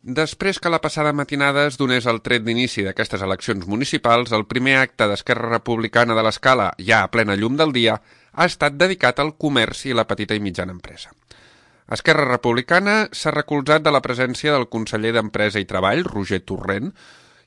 Després que la passada matinada es donés el tret d'inici d'aquestes eleccions municipals, el primer acte d'Esquerra Republicana de l'Escala, ja a plena llum del dia, ha estat dedicat al comerç i la petita i mitjana empresa. Esquerra Republicana s'ha recolzat de la presència del conseller d'Empresa i Treball, Roger Torrent,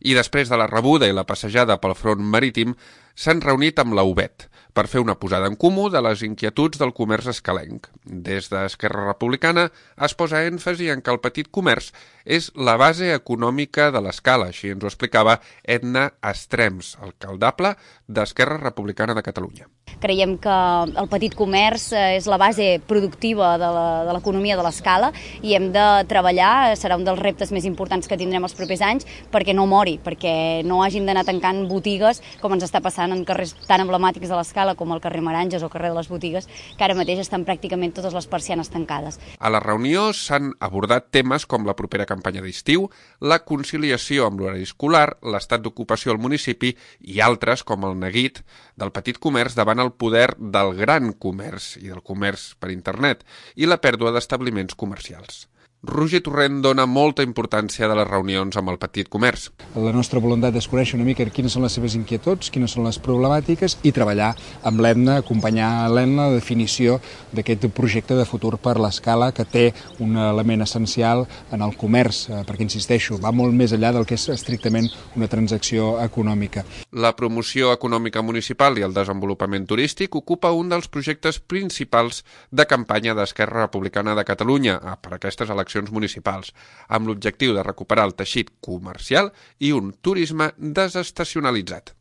i després de la rebuda i la passejada pel front marítim s'han reunit amb la UBET per fer una posada en comú de les inquietuds del comerç escalenc. Des d'Esquerra Republicana es posa èmfasi en que el petit comerç és la base econòmica de l'Escala, així ens ho explicava Edna Estrems, alcaldable d'Esquerra Republicana de Catalunya. Creiem que el petit comerç és la base productiva de l'economia de l'Escala i hem de treballar, serà un dels reptes més importants que tindrem els propers anys, perquè no mori, perquè no hagin d'anar tancant botigues com ens està passant en carrers tan emblemàtics de l'Escala com el carrer Meranges o el carrer de les Botigues, que ara mateix estan pràcticament totes les persianes tancades. A la reunió s'han abordat temes com la propera campanya d'estiu, la conciliació amb l'horari escolar, l'estat d'ocupació al municipi i altres com el neguit del petit comerç davant el poder del gran comerç i del comerç per internet i la pèrdua d'establiments comercials. Roger Torrent dona molta importància de les reunions amb el petit comerç. La nostra voluntat és conèixer una mica quines són les seves inquietuds, quines són les problemàtiques i treballar amb l'EDNA, acompanyar l'EDNA la definició d'aquest projecte de futur per l'Escala que té un element essencial en el comerç, perquè, insisteixo, va molt més enllà del que és estrictament una transacció econòmica. La promoció econòmica municipal i el desenvolupament turístic ocupa un dels projectes principals de campanya d'Esquerra Republicana de Catalunya per aquestes eleccions municipals, amb l'objectiu de recuperar el teixit comercial i un turisme desestacionalitzat.